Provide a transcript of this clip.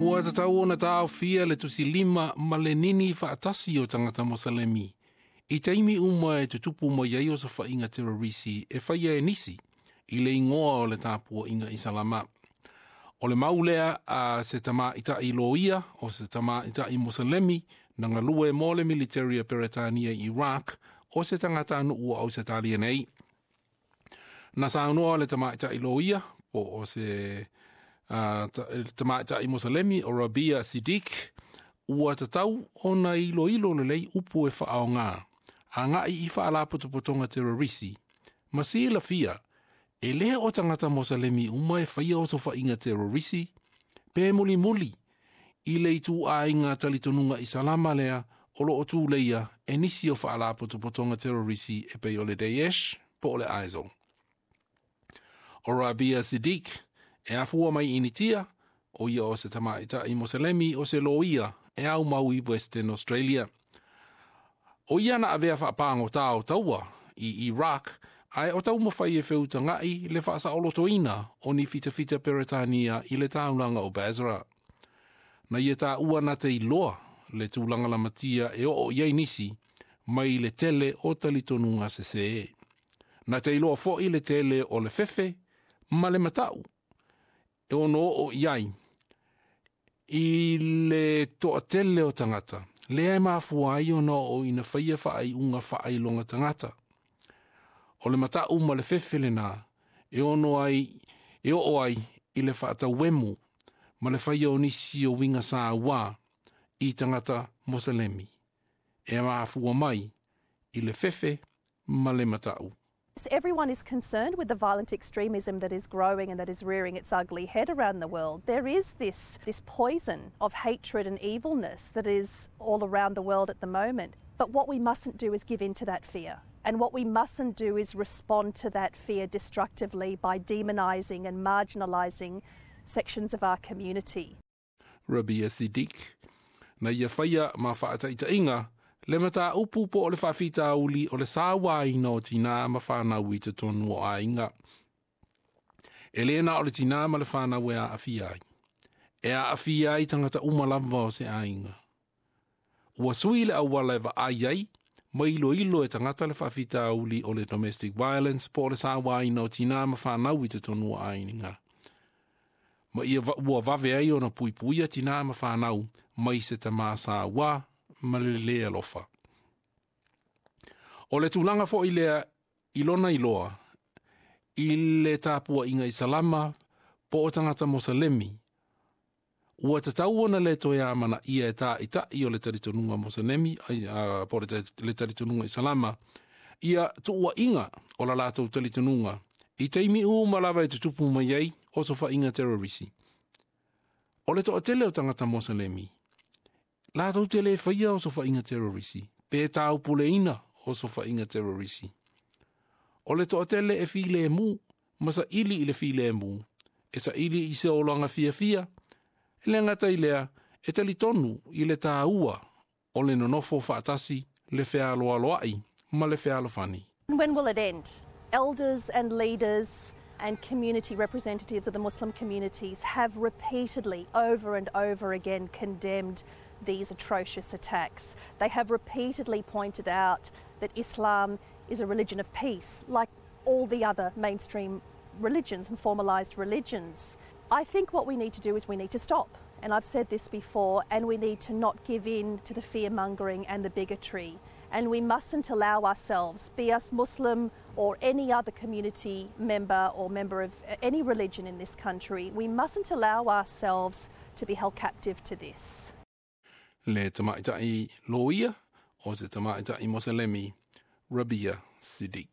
Ua tatau ona taofia le tusilima ma le nini faatasi o tagata Moselemi i taimi uma e tutupu mai ai osofaiga terorisi e faia e nisi i le igoa o le tapuaiga Isalama. O le mau lea a se tamaitai loia o se tamaitai Moselemi na galue mo le military a Peretania i Iraq o se tagatanuu o Ausetalia nei. Na saunoa le tamaitai loia po o se tamaitai Moselemi o Rabia Siddiq ua tatau ona iloilo lelei upu e faaaoga agai i faalapotopotoga terorisi ma silafia e le o tagata Moselemi uma e faia osofaiga terorisi pe mulimuli i le ituaiga talitonuga Isalama lea o loo tuleia e nisi o faalapotopotoga terorisi e pei o le Daesh po o le ISIL. O Rabia Siddiq e afua mai Initia, o ia o se tamaitai Moselemi o se loia e aumau i Western Australia. O ia na avea faapagota o taua i Iraq, ae o taumafai e feutagai le faasaolotoina o ni fitafita Peretania i le taulaga o Basra. Na ia taua na te iloa le tulaga lamatia e oo i ai nisi mai le tele o talitonuga sesē. Na te iloa foi le tele o le fefe ma le matau e ono oo i ai i le toatele o tagata lea e mafua ai ona oo ina faia faaiuga faailoga tagata. O le matau ma le fefe lena e ono ai e oo ai i le faatauemu ma le faia o nisi o uiga sauā i tagata Moselemi e mafua mai i le fefe ma le matau. Everyone is concerned with the violent extremism that is growing and that is rearing its ugly head around the world. There is this poison of hatred and evilness that is all around the world at the moment. But what we mustn't do is give in to that fear. And what we mustn't do is respond to that fear destructively by demonising and marginalising sections of our community. Rabia Siddiq. Na ia faia ma faataitaiga le mataupu po o le faafitauli o le sauaina o tinā ma fanau i totonu o aiga. E le na o le tinā ma le fanau e aafia ai. E aafia ai tagata uma lava o se aiga. Ua sui le auala e vaai ai, ma iloilo e tagata le faafitauli o le domestic violence po o le sauaina o tinā ma fanau i totonu o aiga. Ma ia ua vave ai ona puipuia tinā ma fanau mai se tamā sauā ma le le alofa. O le tulaga foi lea i lona iloa, i le tapuaiga Isalama po o tagata Moselemi, ua tatau ona le toe amanaia e taitai o le talitonuga Moselemi, po o le talitonuga Isalama, ia tuuaiga o la latou talitonuga i taimi uma lava e tutupu mai ai osofaiga terorisi. O le toatele o tagata Moselemi, latou te le faia osofaiga terorisi, pe taupuleina osofaiga terorisi. O le toatele e filemu, ma saili i le filemu, e saili i se olaga fiafia, e le gata i lea, e talitonu i le tāua o le nonofo faatasi, le fealoaloai ma le fealofani. When will it end? Elders and leaders and community representatives of the Muslim communities have repeatedly, over and over again, condemned these atrocious attacks. They have repeatedly pointed out that Islam is a religion of peace, like all the other mainstream religions and formalised religions. I think what we need to do is we need to stop. And I've said this before, and we need to not give in to the fear-mongering and the bigotry. And we mustn't allow ourselves, be us Muslim or any other community member or member of any religion in this country, we mustn't allow ourselves to be held captive to this. Le tamaitai loia o se tamaitai Moselemi, Rabia Siddiq.